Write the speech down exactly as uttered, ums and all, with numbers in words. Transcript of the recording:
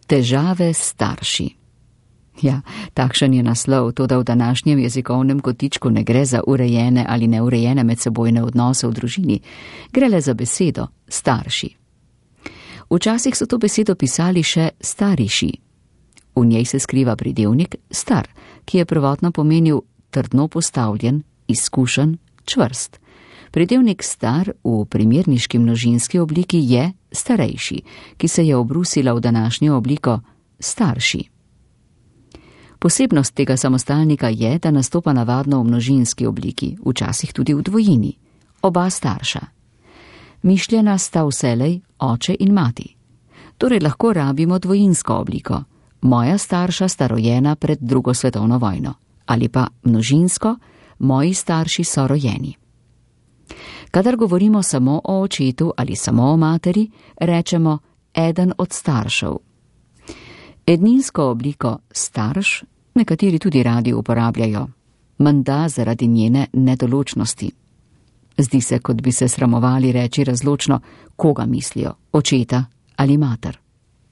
Težave s starši. Ja, takšen je naslov, toda v današnjem jezikovnem kotičku ne gre za urejene ali neurejene medsebojne odnose v družini. Gre le za besedo starši. Včasih so to besedo pisali še stariši. V njej se skriva pridevnik star, ki je prvotno pomenil trdno postavljen, izkušen, čvrst. Pridevnik star v primerniški množinski obliki je starejši, ki se je obrusila v današnjo obliko starši. Posebnost tega samostalnika je, da nastopa navadno v množinski obliki, včasih tudi v dvojini, oba starša. Mišljena sta vselej oče in mati. Torej lahko rabimo dvojinsko obliko. Moja starša sta rojena pred drugo svetovno vojno. Ali pa množinsko, moji starši so rojeni. Kadar govorimo samo o očetu ali samo o materi, rečemo eden od staršev. Edninsko obliko starš nekateri tudi radi uporabljajo, menda zaradi njene nedoločnosti. Zdi se, kot bi se sramovali reči razločno, koga mislijo, očeta ali mater.